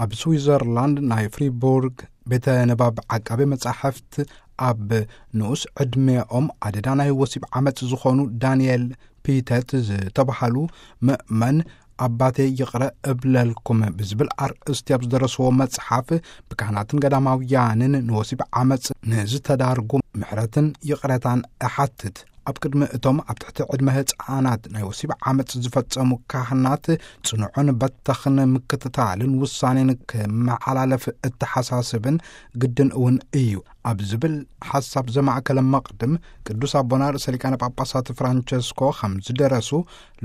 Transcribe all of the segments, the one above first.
ኣብ ስዊዘርላንድ ናይ ፍሪቡርግ ቤተ ንባብ ዓቃቢ መጻሕፍት፣ ኣብ ንኡስ ዕድሜኦም ኣደዳ ናይ ወሲብ ዓመጽ ዝኾኑ ዳንኤል ፒተት ዝተባሃሉ ምእመን፣ ኣባቴ ይቕረ እብለልኩም ብዝብል ኣርእስቲ ኣብ ዝደረስዎ መጽሓፍ፣ ብካህናትን ገዳማውያንን ንወሲብ ዓመጽ ንዝተዳርጉ ምሕረትን ይቕረታን እሓትት። ኣብ ቅድሚ እቶም ኣብ ትሕቲ ዕድመ ህጻናት ናይ ወሲብ ዓመጽ ዝፈጸሙ ካህናት ጽኑዕን በተኽን ምክትታልን ውሳኔን ክመሓላለፍ እተሓሳስብን ግድን እውን እዩ፣ ኣብ ዝብል ሓሳብ ዘማእከለ መቕድም፣ ቅዱስ ኣቦና ርእሰ ሊቃነ ጳጳሳት ፍራንቸስኮ ከም ዝደረሱ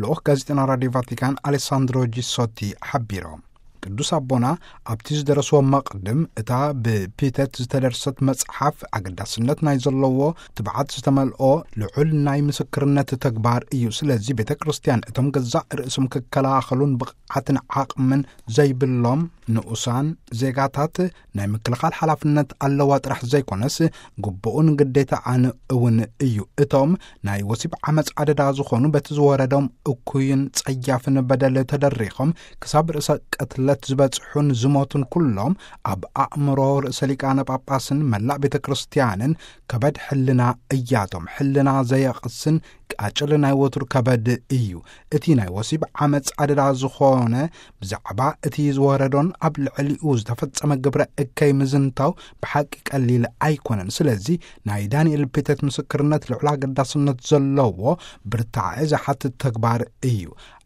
ልኡኽ ጋዜጠና ራድዮ ቫቲካን ኣሌሳንድሮ ጂሶቲ ሓቢሮም። ቅዱስ ኣቦና ኣብቲ ዝደረስዎ መቕድም፣ እታ ብፒተት ዝተደርሰት መጽሓፍ ኣገዳስነት ናይ ዘለዎ ትብዓት ዝተመልኦ ልዑል ናይ ምስክርነት ተግባር እዩ። ስለዚ ቤተ ክርስቲያን እቶም ገዛእ ርእሶም ክከላኸሉን ብቕዓትን ዓቕምን ዘይብሎም ንኡሳን ዜጋታት ናይ ምክልኻል ሓላፍነት ኣለዋ ጥራሕ ዘይኮነስ፣ ግቡኡን ግዴታኣን እውን እዩ። እቶም ናይ ወሲብ ዓመጽ ኣደዳ ዝኾኑ፣ በቲ ዝወረዶም እኩይን ጸያፍን በደል ተደሪኾም ክሳብ ርእሰ ቅትለት ዝበጽሑን ዝሞቱን ኩሎም፣ ኣብ ኣእምሮ ርእሰ ሊቃነ ጳጳስን መላእ ቤተ ክርስቲያንን ከበድ ሕልና እያቶም። ሕልና ዘየቕስን ቃጭል ናይ ወትሩ ከበድ እዩ። እቲ ናይ ወሲብ ዓመጽ ኣደዳ ዝኾነ፣ ብዛዕባ እቲ ዝወረዶን ኣብ ልዕሊኡ ዝተፈጸመ ግብረ እከይ ምዝንታው ብሓቂ ቀሊል ኣይኮነን። ስለዚ ናይ ዳንኤል ፒተት ምስክርነት ልዑል ኣገዳስነት ዘለዎ ብርታዐ ዝሓትት ተግባር እዩ።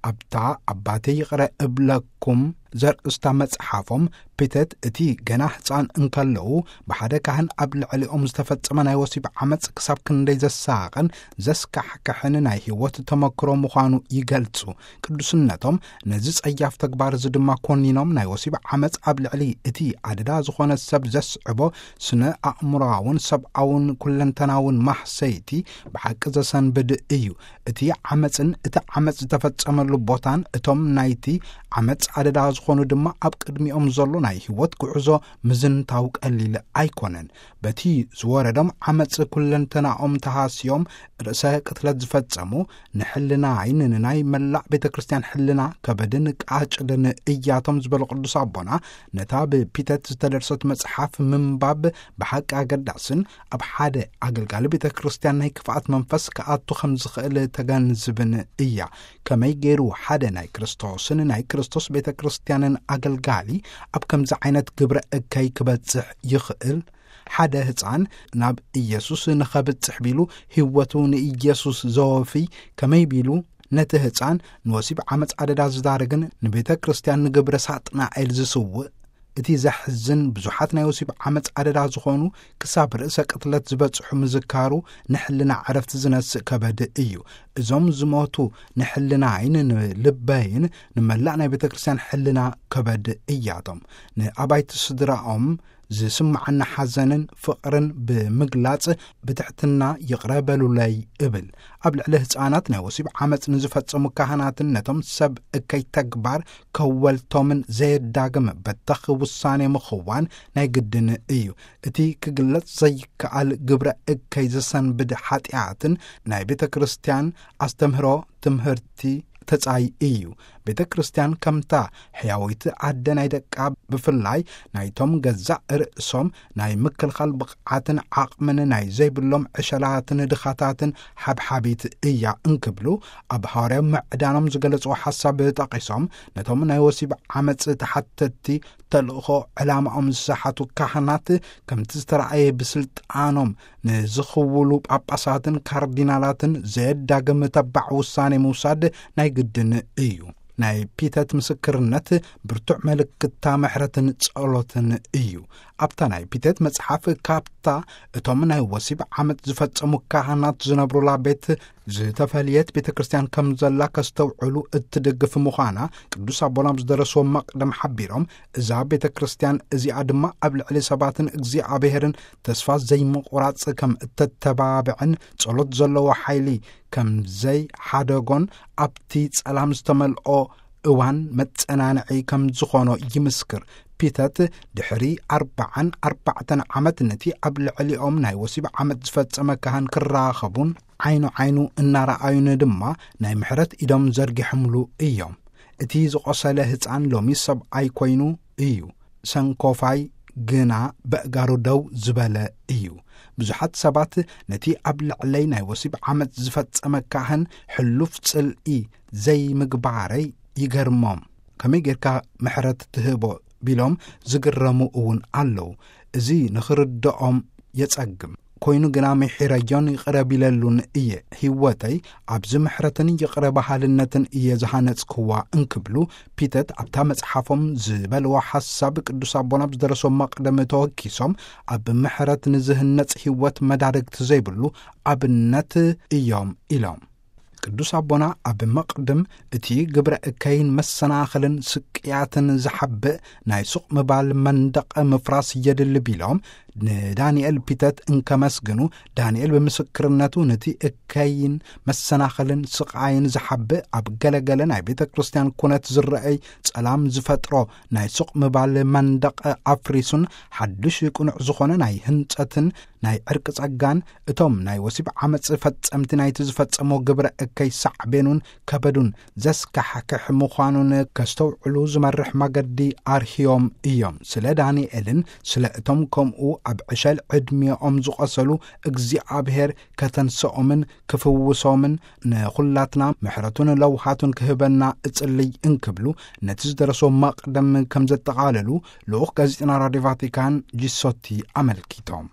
ኣብታ ኣባቴ ይቕረ እብለኩም ዘርእስታ መጽሓፎም፣ ፒተት እቲ ገና ህጻን እንከለዉ ብሓደ ካህን ኣብ ልዕሊኦም ዝተፈጸመ ናይ ወሲብ ዓመጽ ክሳብ ክንደይ ዘሳቕን ዘስካሕክሕን ናይ ህይወት ተመክሮ ምዃኑ ይገልጹ። ቅዱስነቶም ነዚ ጸያፍ ተግባር እዚ ድማ ኮኒኖም፣ ናይ ወሲብ ዓመጽ ኣብ ልዕሊ እቲ ኣደዳ ዝኾነ ሰብ ዘስዕቦ ስነ ኣእምሮኣውን ሰብኣውን ኩለንተናውን ማህሰይቲ ብሓቂ ዘሰንብድ እዩ። እቲ ዓመጽን እቲ ዓመጽ ዝተፈጸመሉ ቦታን እቶም ናይቲ ዓመጽ ኣደዳ ዝኾኑ ድማ ኣብ ቅድሚኦም ዘሎ ናይ ህይወት ጉዕዞ ምዝንታው ቀሊል ኣይኮነን። በቲ ዝወረዶም ዓመጽ ኩለንተናኦም ተሃስዮም ርእሰ ቅትለት ዝፈጸሙ፣ ንሕልናይን ንናይ መላእ ቤተ ክርስቲያን ሕልና ከበድን ቃጭልን እያቶም ዝበሉ ቅዱስ ኣቦና፣ ነታ ብፒተት ዝተደርሰት መጽሓፍ ምንባብ ብሓቂ ኣገዳስን ኣብ ሓደ ኣገልጋሊ ቤተ ክርስቲያን ናይ ክፍኣት መንፈስ ክኣቱ ከም ዝኽእል ተገንዝብን እያ። ከመይ ገይሩ ሓደ ናይ ክርስቶስን ናይ ክርስቶስ ቤተ ክርስቲያንን ኣገልጋሊ ኣብ ከምዚ ዓይነት ግብረ እከይ ክበጽሕ ይኽእል? ሓደ ህጻን ናብ ኢየሱስ ንኸብጽሕ ቢሉ ህይወቱ ንኢየሱስ ዘወፊ ከመይ ቢሉ ነቲ ህጻን ንወሲብ ዓመጽ ኣደዳ ዝዳርግን ንቤተ ክርስቲያን ንግብረ ሳጥናኤል ዝስውእ? እቲ ዘሕዝን፣ ብዙሓት ናይ ወሲብ ዓመጽ ኣደዳ ዝኾኑ ክሳብ ርእሰ ቅትለት ዝበጽሑ ምዝካሩ ንሕልና ዕረፍቲ ዝነስእ ከበድ እዩ። እዞም ዝሞቱ ንሕልናይን ንልበይን ንመላእ ናይ ቤተ ክርስቲያን ሕልና ከበድ እያቶም። ንኣባይቲ ስድራኦም ዝስምዓና ሓዘንን ፍቕርን ብምግላጽ ብትሕትና ይቕረ በሉለይ እብል። ኣብ ልዕሊ ህጻናት ናይ ወሲብ ዓመጽ ንዝፈጸሙ ካህናትን ነቶም ሰብ እከይ ተግባር ከወልቶምን ዘየዳግም በተኽ ውሳኔ ምኽዋን ናይ ግድን እዩ። እቲ ክግለጽ ዘይከኣል ግብረ እከይ ዘሰንብድ ሓጢኣትን ናይ ቤተ ክርስቲያን ኣስተምህሮ ትምህርቲ ተጻይ እዩ። ቤተ ክርስቲያን ከምታ ሕያወይቲ ኣደ ናይ ደቃ፣ ብፍላይ ናይቶም ገዛእ ርእሶም ናይ ምክልኻል ብቕዓትን ዓቕምን ናይ ዘይብሎም ዕሸላትን ድኻታትን ሓብሓቢት እያ እንክብሉ ኣብ ሃዋርያዊ ምዕዳኖም ዝገለጽዎ ሓሳብ ጠቒሶም፣ ነቶም ናይ ወሲብ ዓመጽ ተሓተትቲ ተልእኾ ዕላማኦም ዝሰሓቱ ካህናት ከምቲ ዝተረኣየ ብስልጣኖም ንዝኽውሉ ጳጳሳትን ካርዲናላትን ዘየዳግም ተባዕ ውሳኔ ምውሳድ ናይ ግድን እዩ። ናይ ፒተት ምስክርነት ብርቱዕ ምልክታ ምሕረትን ጸሎትን እዩ። ኣብታ ናይ ፒተት መጽሓፍ ካብታ እቶም ናይ ወሲብ ዓመጽ ዝፈጸሙ ካህናት ዝነብሩላ ቤት ዝተፈልየት ቤተ ክርስቲያን ከም ዘላ ከስተውዕሉ እትድግፍ ምዃና ቅዱስ ኣቦና ኣብ ዝደረስዎ መቕደም ሓቢሮም፣ እዛ ቤተ ክርስቲያን እዚኣ ድማ ኣብ ልዕሊ ሰባትን እግዚኣብሔርን ተስፋ ዘይምቑራጽ ከም እተተባብዕን ጸሎት ዘለዎ ሓይሊ ከም ዘይሓደጎን ኣብቲ ጸላም ዝተመልኦ እዋን መጸናንዒ ከም ዝኾኖ ይምስክር። ፒተት ድሕሪ ኣርባዓን ኣርባዕተን ዓመት ነቲ ኣብ ልዕሊኦም ናይ ወሲብ ዓመት ዝፈጸመ ካህን ክራኸቡን ዓይኑ ዓይኑ እናረኣዩን ድማ ናይ ምሕረት ኢዶም ዘርጊሖምሉ እዮም። እቲ ዝቖሰለ ህጻን ሎሚ ሰብኣይ ኮይኑ እዩ። ሰንኮፋይ ግና በእጋሩ ደው ዝበለ እዩ። ብዙሓት ሰባት ነቲ ኣብ ልዕለይ ናይ ወሲብ ዓመጽ ዝፈጸመ ካህን ሕሉፍ ጽልኢ ዘይምግባረይ ይገርሞም። ከመይ ጌርካ ምሕረት ትህቦ ቢሎም ዝግረሙ እውን ኣለዉ። እዚ ንኽርድኦም የጸግም። ኮይኑ ግና ምሒረዮን ይቕረ ቢለሉን እየ። ህይወተይ ኣብዚ ምሕረትን ይቕረ በሃልነትን እየ ዝሃነጽክዋ እንክብሉ ፒተት ኣብታ መጽሓፎም ዝበልዎ ሓሳብ ቅዱስ ኣቦና ብዝደረሶ መቕደም ተወኪሶም ኣብ ምሕረት ንዝህነጽ ህይወት መዳርግቲ ዘይብሉ ኣብነት እዮም ኢሎም። ቅዱስ ኣቦና ኣብ መቕድም እቲ ግብረ እከይን መሰናኽልን ስቅያትን ዝሓብእ ናይ ሱቕ ምባል መንደቕ ምፍራስ የድሊ ቢሎም ንዳንኤል ፒተት እንከመስግኑ፣ ዳንኤል ብምስክርነቱ ነቲ እከይን መሰናኽልን ስቓይን ዝሓብእ ኣብ ገለገለ ናይ ቤተ ክርስቲያን ኩነት ዝረአይ ጸላም ዝፈጥሮ ናይ ሱቕ ምባል መንደቕ ኣፍሪሱን ሓድሽ ቅኑዕ ዝኾነ ናይ ህንጸትን ናይ ዕርቂ ጸጋን እቶም ናይ ወሲብ ዓመጽ ፈጸምቲ ናይቲ ዝፈጸሞ ግብረ እከይ ሳዕቤኑን ከበዱን ዘስካሕክሕ ምዃኑን ከስተውዕሉ ዝመርሕ መገዲ ኣርህዮም እዮም። ስለ ዳንኤልን ስለ እቶም ከምኡ ኣብ ዕሸል ዕድሜኦም ዝቖሰሉ እግዚኣብሔር ከተንስኦምን ክፍውሶምን ንኹላትና ምሕረቱን ለውሃቱን ክህበና እጽልይ እንክብሉ ነቲ ዝደረሶ መቕደም ከም ዘጠቓለሉ ልኡኽ ጋዜጠና ራድዮ ቫቲካን ጂሶቲ ኣመልኪቶም።